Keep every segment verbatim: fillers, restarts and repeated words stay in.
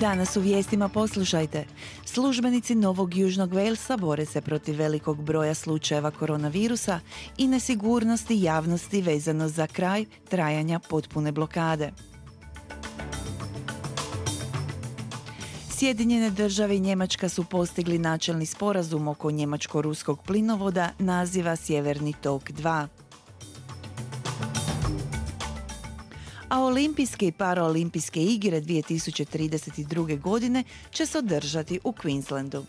Danas u vijestima poslušajte. Službenici Novog Južnog Walesa bore se protiv velikog broja slučajeva koronavirusa i nesigurnosti javnosti vezano za kraj trajanja potpune blokade. Sjedinjene države i Njemačka su postigli načelni sporazum oko njemačko-ruskog plinovoda naziva Sjeverni tok dva. A olimpijske i paraolimpijske igre dvije tisuće trideset druge. godine će se održati u Queenslandu.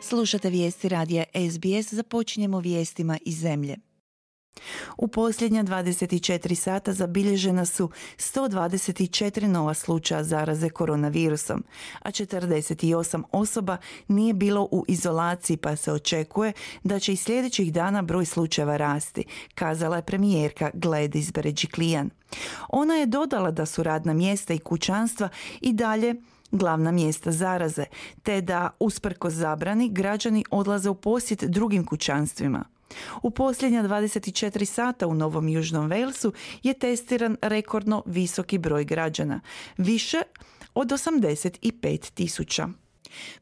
Slušate vijesti radija S B S, započinjemo vijestima iz zemlje. U posljednja dvadeset četiri sata zabilježena su sto dvadeset četiri nova slučaja zaraze koronavirusom, a četrdeset osam osoba nije bilo u izolaciji, pa se očekuje da će i sljedećih dana broj slučajeva rasti, kazala je premijerka Gladys Berejiklian. Ona je dodala da su radna mjesta i kućanstva i dalje glavna mjesta zaraze, te da usprkos zabrani građani odlaze u posjet drugim kućanstvima. U posljednja dvadeset četiri sata u Novom Južnom Walesu je testiran rekordno visoki broj građana, više od osamdeset pet tisuća.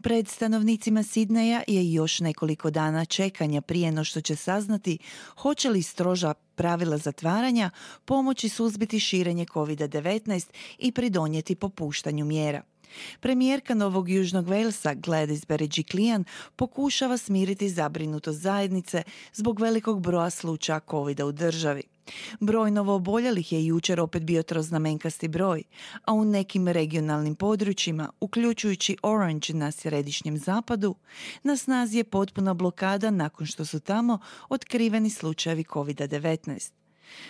Pred stanovnicima Sidneja je još nekoliko dana čekanja prije no što će saznati hoće li stroža pravila zatvaranja pomoći suzbiti širenje kovid devetnaest i pridonijeti popuštanju mjera. Premijerka Novog Južnog Walesa Gladys Berejiklian pokušava smiriti zabrinutost zajednice zbog velikog broja slučaja covida u državi. Broj novooboljelih je jučer opet bio troznamenkasti broj, a u nekim regionalnim područjima, uključujući Orange na središnjem zapadu, na snazi je potpuna blokada nakon što su tamo otkriveni slučajevi kovid devetnaest.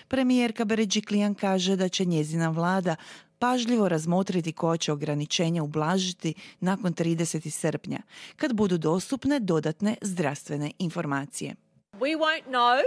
Premijerka Berejiklian kaže da će njezina vlada pažljivo razmotriti koja će ograničenja ublažiti nakon tridesetog srpnja, kad budu dostupne dodatne zdravstvene informacije. We won't know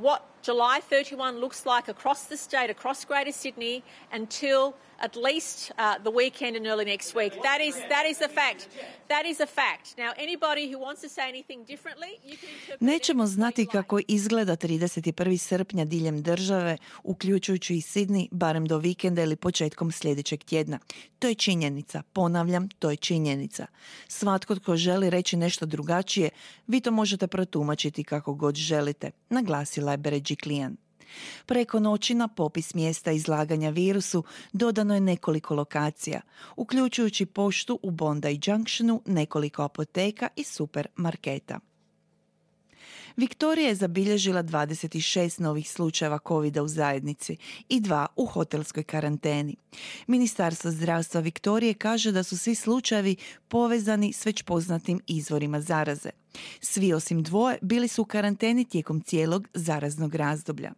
what July thirty-first looks like across the state, across Greater Sydney, until at least uh, the weekend and early next week. That is that is a fact. That is a fact. Now, anybody who wants to say anything differently, you can interpret. Nećemo znati kako izgleda trideset prvog srpnja diljem države, uključujući i Sydney, barem do vikenda ili početkom sljedećeg tjedna. To je činjenica. Ponavljam, to je činjenica. Svatko tko želi reći nešto drugačije, vi to možete protumačiti kako god želite, naglasila je Berejiklian. Preko noći na popis mjesta izlaganja virusu dodano je nekoliko lokacija, uključujući poštu u Bondi Junctionu, nekoliko apoteka i supermarketa. Viktorija je zabilježila dvadeset šest novih slučajeva covida u zajednici i dva u hotelskoj karanteni. Ministarstvo zdravstva Viktorije kaže da su svi slučajevi povezani s već poznatim izvorima zaraze. Svi osim dvoje bili su u karanteni tijekom cijelog zaraznog razdoblja.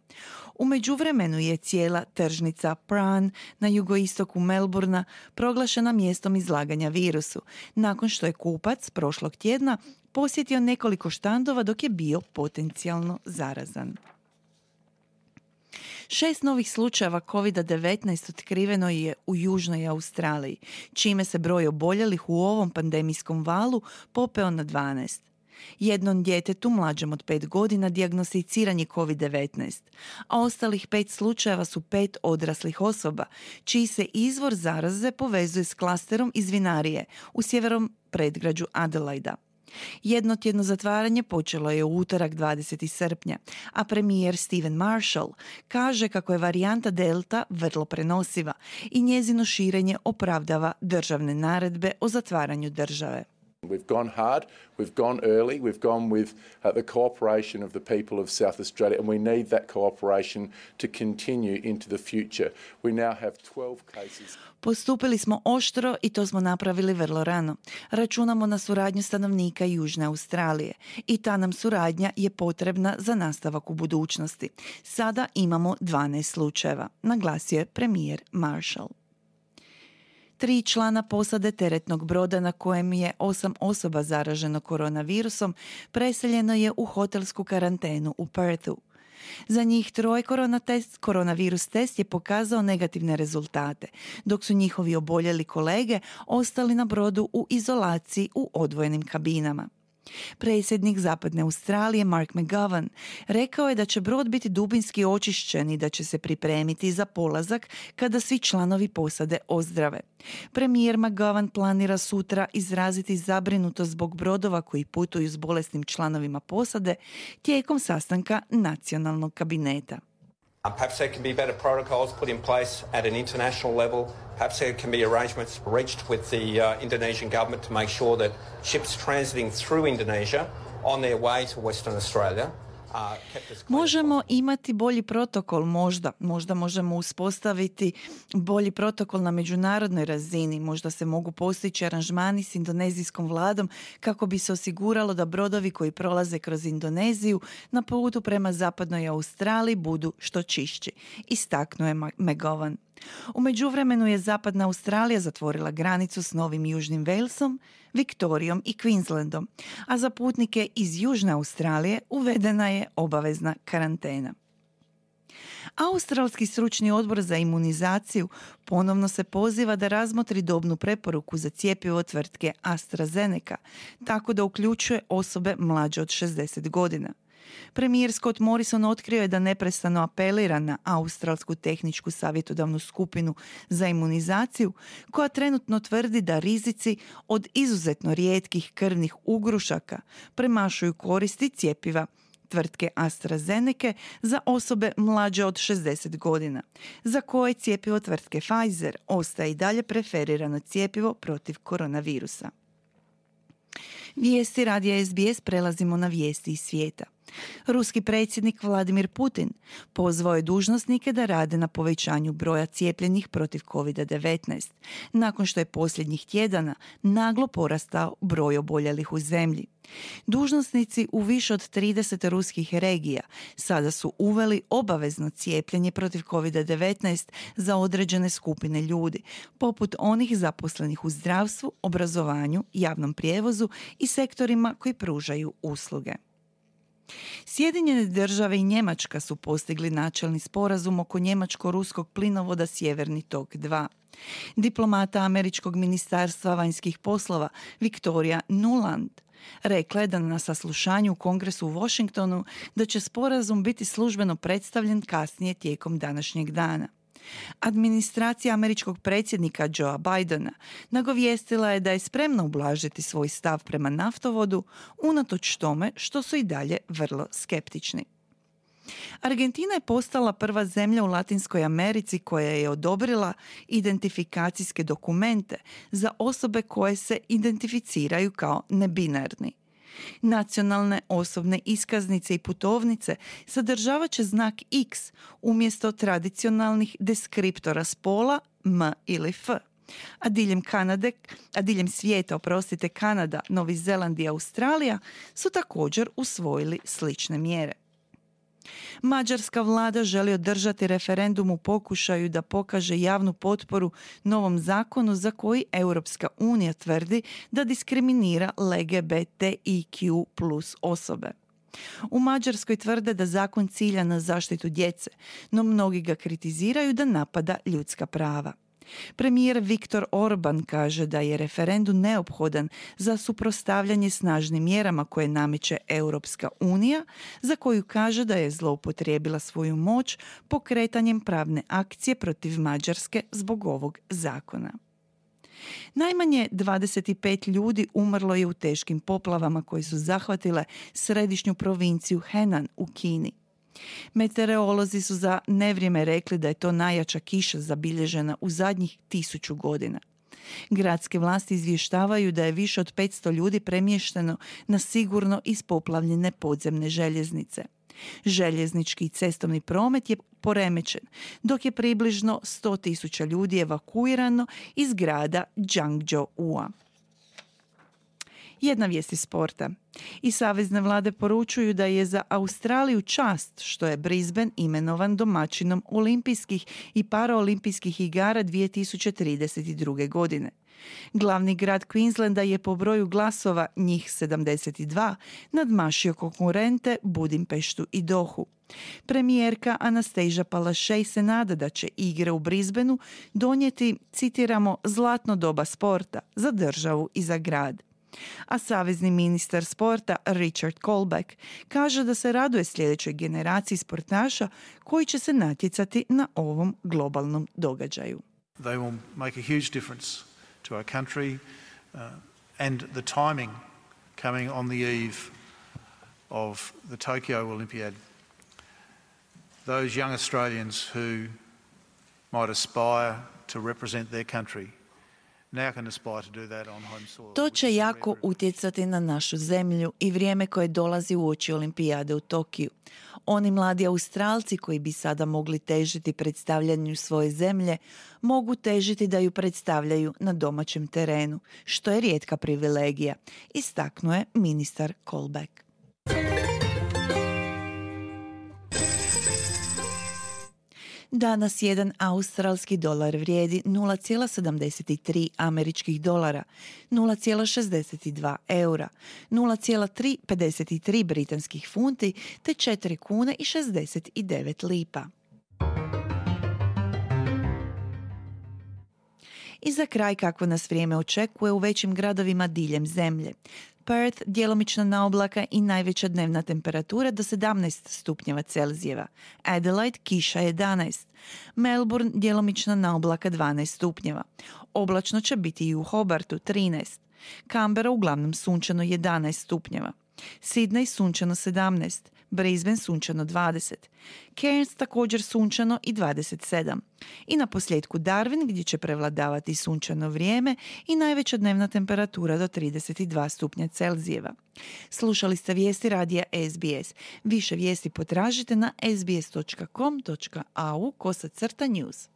U međuvremenu je cijela tržnica Prahran na jugoistoku Melbourna proglašena mjestom izlaganja virusu, nakon što je kupac prošlog tjedna posjetio nekoliko štandova dok je bio potencijalno zarazan. Šest novih slučajeva kovid devetnaest otkriveno je u Južnoj Australiji, čime se broj oboljelih u ovom pandemijskom valu popeo na dvanaest. Jednom djetetu mlađem od pet godina dijagnosticiran je kovid devetnaest, a ostalih pet slučajeva su pet odraslih osoba, čiji se izvor zaraze povezuje s klasterom iz vinarije u sjevernom predgrađu Adelaida. Jednotjedno zatvaranje počelo je u utorak dvadesetog srpnja, a premijer Stephen Marshall kaže kako je varijanta Delta vrlo prenosiva i njezino širenje opravdava državne naredbe o zatvaranju države. We've gone hard, we've gone early, we've gone with uh, the cooperation of the people of South Australia, and we need that cooperation to continue into the future. We now have twelve cases. Postupili smo oštro i to smo napravili vrlo rano. Računamo na suradnju stanovnika Južne Australije i ta nam suradnja je potrebna za nastavak u budućnosti. Sada imamo dvanaest slučajeva, naglasio je premijer Marshall. Tri člana posade teretnog broda na kojem je osam osoba zaraženo koronavirusom preseljeno je u hotelsku karantenu u Perthu. Za njih troje korona test, koronavirus test je pokazao negativne rezultate, dok su njihovi oboljeli kolege ostali na brodu u izolaciji u odvojenim kabinama. Predsjednik Zapadne Australije Mark McGowan rekao je da će brod biti dubinski očišćen i da će se pripremiti za polazak kada svi članovi posade ozdrave. Premijer McGowan planira sutra izraziti zabrinutost zbog brodova koji putuju s bolesnim članovima posade tijekom sastanka nacionalnog kabineta. Um, perhaps there can be better protocols put in place at an international level. Perhaps there can be arrangements reached with the uh, Indonesian government to make sure that ships transiting through Indonesia on their way to Western Australia. Možemo imati bolji protokol, možda. Možda možemo uspostaviti bolji protokol na međunarodnoj razini. Možda se mogu postići aranžmani s indonezijskom vladom kako bi se osiguralo da brodovi koji prolaze kroz Indoneziju na putu prema zapadnoj Australiji budu što čišći, istaknuo je McGowan. U međuvremenu je zapadna Australija zatvorila granicu s Novim Južnim Walesom, Viktorijom i Queenslandom, a za putnike iz Južne Australije uvedena je obavezna karantena. Australski stručni odbor za imunizaciju ponovno se poziva da razmotri dobnu preporuku za cjepivo tvrtke AstraZeneca, tako da uključuje osobe mlađe od šezdeset godina. Premijer Scott Morrison otkrio je da neprestano apelira na Australsku tehničku savjetodavnu skupinu za imunizaciju, koja trenutno tvrdi da rizici od izuzetno rijetkih krvnih ugrušaka premašuju koristi cjepiva tvrtke AstraZeneca za osobe mlađe od šezdeset godina, za koje cjepivo tvrtke Pfizer ostaje i dalje preferirano cjepivo protiv koronavirusa. Vijesti radija S B S prelazimo na vijesti iz svijeta. Ruski predsjednik Vladimir Putin pozvao je dužnosnike da rade na povećanju broja cijepljenih protiv kovid devetnaest, nakon što je posljednjih tjedana naglo porastao broj oboljelih u zemlji. Dužnosnici u više od trideset ruskih regija sada su uveli obavezno cijepljenje protiv kovid devetnaest za određene skupine ljudi, poput onih zaposlenih u zdravstvu, obrazovanju, javnom prijevozu i sektorima koji pružaju usluge. Sjedinjene države i Njemačka su postigli načelni sporazum oko njemačko-ruskog plinovoda Sjeverni tok dva. Diplomata Američkog ministarstva vanjskih poslova Victoria Nuland rekla je da na saslušanju u Kongresu u Washingtonu da će sporazum biti službeno predstavljen kasnije tijekom današnjeg dana. Administracija američkog predsjednika Joea Bidena nagovijestila je da je spremna ublažiti svoj stav prema naftovodu, unatoč tome što su i dalje vrlo skeptični. Argentina je postala prva zemlja u Latinskoj Americi koja je odobrila identifikacijske dokumente za osobe koje se identificiraju kao nebinarni. Nacionalne osobne iskaznice i putovnice sadržavat će znak X umjesto tradicionalnih deskriptora spola M ili F. A diljem Kanade, a diljem svijeta, oprostite, Kanada, Novi Zeland i Australija su također usvojili slične mjere. Mađarska vlada želi održati referendum u pokušaju da pokaže javnu potporu novom zakonu za koji Europska unija tvrdi da diskriminira L G B T I Q plus osobe. U Mađarskoj tvrde da zakon cilja na zaštitu djece, no mnogi ga kritiziraju da napada ljudska prava. Premijer Viktor Orban kaže da je referendum neophodan za suprotstavljanje snažnim mjerama koje nameće Europska unija, za koju kaže da je zloupotrijebila svoju moć pokretanjem pravne akcije protiv Mađarske zbog ovog zakona. Najmanje dvadeset pet ljudi umrlo je u teškim poplavama koje su zahvatile središnju provinciju Henan u Kini. Meteorolozi su za nevrijeme rekli da je to najjača kiša zabilježena u zadnjih tisuću godina. Gradske vlasti izvještavaju da je više od petsto ljudi premješteno na sigurno ispoplavljene podzemne željeznice. Željeznički i cestovni promet je poremećen, dok je približno sto tisuća ljudi evakuirano iz grada Guangzhou. Jedna vijest iz sporta. I savezne vlade poručuju da je za Australiju čast što je Brisbane imenovan domaćinom olimpijskih i paraolimpijskih igara dvije tisuće trideset druge. godine. Glavni grad Queenslanda je po broju glasova, njih sedamdeset dva, nadmašio konkurente Budimpeštu i Dohu. Premijerka Anastasia Palaszczuk se nada da će igre u Brisbaneu donijeti, citiramo, zlatno doba sporta za državu i za grad. A savezni ministar sporta Richard Colbeck kaže da se raduje sljedećoj generaciji sportaša koji će se natjecati na ovom globalnom događaju. They will make a huge difference to our country uh, and the timing coming on the eve of the Tokyo Olympiad. Those young Australians who might aspire to represent their country now can aspire to do that on home soil. To će jako utjecati na našu zemlju i vrijeme koje dolazi uoči Olimpijade u Tokiju. Oni mladi Australci koji bi sada mogli težiti predstavljanju svoje zemlje, mogu težiti da ju predstavljaju na domaćem terenu, što je rijetka privilegija, istaknuo je ministar Colbeck. Danas jedan australski dolar vrijedi nula zarez sedamdeset tri američkih dolara, nula zarez šezdeset dva eura, nula zarez tri pedeset tri britanskih funti te četiri kune i šezdeset devet lipa. I za kraj kako nas vrijeme očekuje u većim gradovima diljem zemlje. Perth djelomična naoblaka i najveća dnevna temperatura do sedamnaest stupnjeva Celzijeva. Adelaide kiša jedanaest. Melbourne djelomična naoblaka dvanaest stupnjeva. Oblačno će biti i u Hobartu trinaest. Canberra uglavnom sunčano jedanaest stupnjeva. Sydney sunčano sedamnaest. Brisbane sunčano dvadeset. Cairns također sunčano i dvadeset sedam. I na posljedku Darwin gdje će prevladavati sunčano vrijeme i najveća dnevna temperatura do trideset dva stupnja Celzijeva. Slušali ste vijesti radija S B S. Više vijesti potražite na sbs dot com dot au kosacrta news.